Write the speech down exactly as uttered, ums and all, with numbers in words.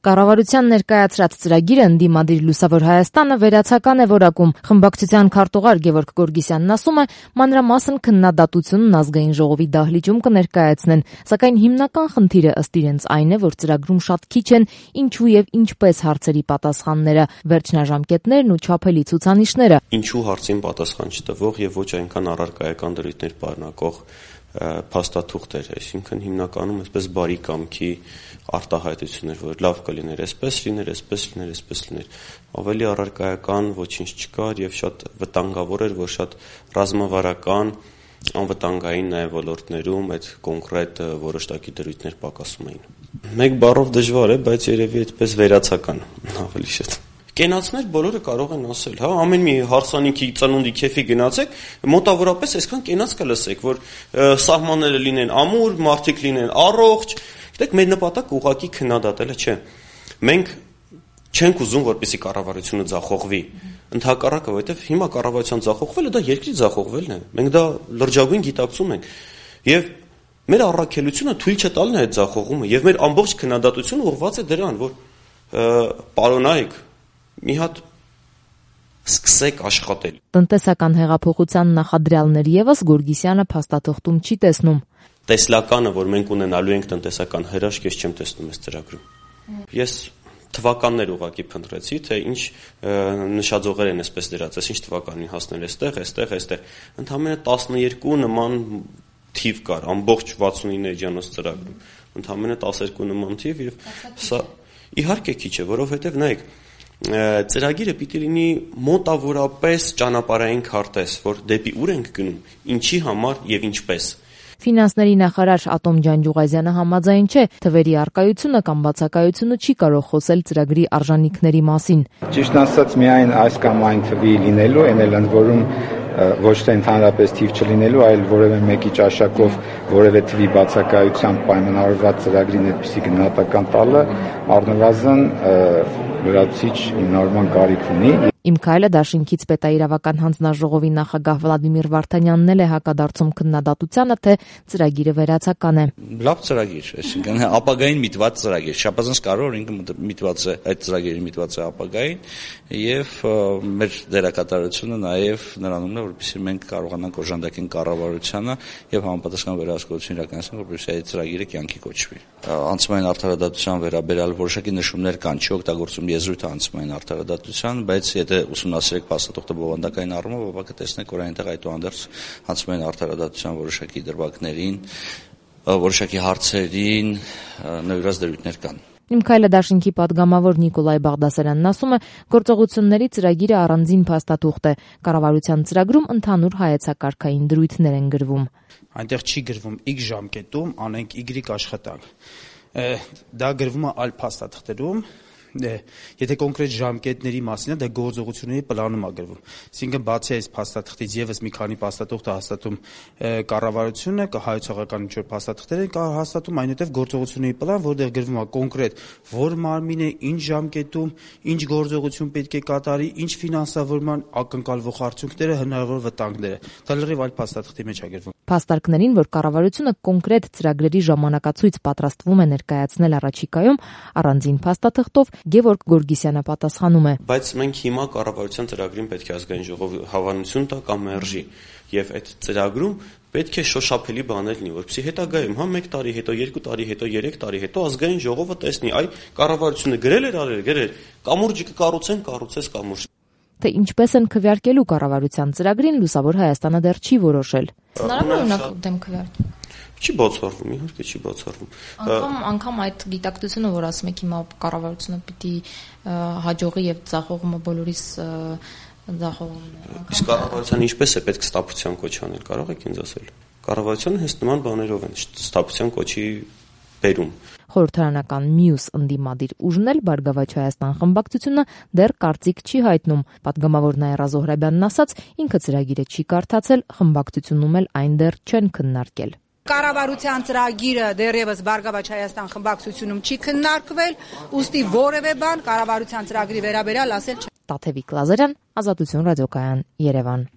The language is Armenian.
Կառավարության ներկայացրած ծրագիրը ընդդիմադիր Լուսավոր Հայաստանը վերացական է որակում։ Խմբակցության քարտուղար Գևորգ Գորգիսյանն ասում է, մանրամասն քննադատությունն ազգային ժողովի դահլիճում կներկայացնեն, սակայն հիմնական խնդիրը ըստ իրենց այն է, որ ծրագրում շատ քիչ են ինչու եւ ինչպես հարցերի պատասխանները, վերջնաժամկետներն ու չափելի ցուցանիշները։ Ինչու հարցին պատասխան չտվող եւ ոչ այնքան առարկայական դրույթներ պարունակող փաստաթուղթեր, այսինքն հիմնականում այսպես բարի կամքի արտահայտություններ, որ լավ կլիներ, այսպես լիներ, այսպես լիներ, այսպես լիներ, ավելի առարկայական ոչինչ չկար եւ շատ վտանգավոր էր, որ շատ ռազմավարական, անվտանգային նաեւ ոլորտներում այդ կոնկրետ որոշակի դրույթներ պակասում էին։ Մեկ բառով դժվար է, բայց երևի այդպես վերացական ավելի շատ։ Կենացներ բոլորը կարող են ասել, հա, ամեն մի հարսանիքի ծնունդի քեֆի գնացեք, մոտավորապես այսքան կենաց կլսեք, որ սահմանները լինեն ամուր, մարդիկ լինեն առողջ։ Գիտեք, մեր նպատակը ուղղակի քննադատելը չէ։ Մենք չենք ուզում, որպեսզի կառավարությունը ձախողվի։ Ընդհակառակը, որովհետև հիմա կառավարության ձախողվելը դա երկրի ձախողվելն է։ Մենք դա լրջագույն գիտակցում ենք։ Եվ մեր առաքելությունը թույլ չտալն է այդ ձախողումը, եւ մեր ամբողջ քննադատությունը ուղղված է դրան, որ պարոնայք մի հատ սկսեք աշխատել։ Տնտեսական հեղափոխության նախադրյալներ եւս Գորգիսյանը փաստաթղթում չի տեսնում։ Տեսլականը, որ մենք ունենալու ենք տնտեսական հրաշք, ես չեմ տեսնում այս ծրագրում։ Ես թվականներ ուղղակի փնտրեցի, թե ինչ նշաձողեր են այսպես դրած, ինչ թվականին հասնել էստեղ, էստեղ, էստեղ։ Ընդամենը տասներկու նման թիվ կար ամբողջ վաթսունինը էջանոց ծրագրում։ Ընդամենը տասներկու նման թիվ եւ սա իհարկե քիչ է, որովհետեւ նայեք ծրագիրը պիտի լինի մոտավորապես ճանապարհային քարտեզ, որ դեպի ուր ենք գնում, ինչի համար եւ ինչպես։ Ֆինանսների նախարար Ատոմ Ջանջուղազյանը համաձայն չէ, թվերի առկայությունը կամ բացակայությունը չի կարող խոսել ծրագրի արժանինքների մասին։ Ճիշտն ասած, միայն այս կամ այն թվի լինելու, այն էլ ընդ որում ոչ թե ընդհանրապես թիվ չլինելու, այլ որևէ մեկի ճաշակով որևէ թվի բացակայությամբ պայմանավորված ծրագրին այդպիսի գնահատական տալը առնվազն լրացուցիչ հիմնավորման կարիք ունի։ Իմ քայլը դաշինքից պետաիրավական հանձնաժողովի նախագահ Վլադիմիր Վարդանյանն էլ է հակադարձում քննադատությանը, թե ծրագիրը վերացական է։ Լավ ծրագիր, այսինքն ապագային միտված ծրագիր, շաբազանց կարող ինքը միտված է, այդ ծրագիրը միտված է ապագային եւ մեր դերակատարությունը նաեւ նրանումն է, որպեսզի մենք կարողանանք օժանդակեն կառավարությանը եւ համապատասխան վերահսկողություն իրականացնել, որպեսզի այդ ծրագիրը կյանքի կոչվի։ Անցումային արդարադատության վերաբերյալ որոշակի նշումներ կան, չի օգտագործում եզրույթը անցումային արդարադատության, բայց եթե ուսումնասիրեք փաստաթուղթը բովանդակային առումով, ապա կտեսնեք, որ այնտեղ այդուհանդերձ անցումային արդարադատության որոշակի դրվագներին, որոշակի հարցերին նվիրված դրույթներ կան։ Իմ քայլը դաշինքի падգամավոր Նիկոլայ Բաղդասարյանն ասում է, գործողությունների ծրագիրը առանձին փաստաթուղթ է, կառավարության ծրագրում ընդհանուր հայեցակարգային դրույթներ են գրվում։ Այնտեղ չի գրվում X ժամկետում անենք Y աշխատանք։ Դա գրվում է այլ փաստաթղթերում։ Եթե կոնկրետ ժամկետների մասին է, դա գործողությունների պլանում է գրվում։ Այսինքն բացի այս փաստաթղթից եւս մի քանի փաստաթուղթ է հաստատում կառավարությունը, հայեցողական ինչ-որ փաստաթղթեր են հաստատում, այնուհետև գործողությունների պլան, որտեղ գրվում է կոնկրետ որ մարմին է, ինչ ժամկետում, ինչ գործողություն պետք է կատարի, ինչ ֆինանսավորման ակնկալվող արդյունքները, հնարավոր վտանգները։ Դա լրիվ այլ փաստաթղթի մեջ է գրվում։ Փաստարկներին, որ կառավարությունը կոնկրետ ծրագրերի ժամանակացույց պատրաստվում է ներկայացնել առաջիկայում, առանձին փաստաթղթով Գևորգ Գորգիսյանը պատասխանում է. Բայց մենք հիմա կառավարության ծրագրին պետք է ազգային ժողովի հավանություն տա կամ մերժի, եւ այդ ծրագրում պետք է շոշափելի բաներ լինի, որպեսզի հետագայում հա մեկ տարի հետո, երկու տարի հետո, երեք տարի հետո ազգային ժողովը տեսնի, այ կառավարությունը գրել էր, արել, գրել, կամուրջը կկառուցեն, կառուցես կամուրջ։ Թե ինչպես են քվեարկելու կառավարության ծրագրին, Լուսավոր Հայաստանը դեռ չի որոշել։ Հնարավոր է դեմ քվեարկել։ Չի բացառվում, իհարկե չի բացառվում։ Անկամ անգամ այդ գիտակցությունը, որ ասում եք հիմա կառավարությունը պիտի հաջողի եւ ձախողումը բոլորիս ձախողումն է։ Իսկ կառավարության ինչպես է պետք ստապության կոչ անել, կարող եք ինձ ասել։ Կառավարությունը հենց նման բաներով են ստապության կոչի բերում։ Խորհրդարանական մյուս ընդդիմադիր ուժն էլ Բարգավաճ Հայաստան խմբակցությունը դեռ կարծիք չի հայտնում։ Պատգամավոր Նաիրա Զոհրաբյանն ասաց, ինքը ծրագիրը չի կարդացել, խմբակցությունում էլ այն դեռ չեն քննարկել։ Կառավարության ծրագիրը դեռևս Բարգավաճ Հայաստան խմբակցությունում չի քննարկվել, ուստի որևէ բան կառավարության ծրագրի վերաբերյալ ասել չէ։ Տաթևիկ Լազարյան, Ազատություն ռադիոկայան, Երևան։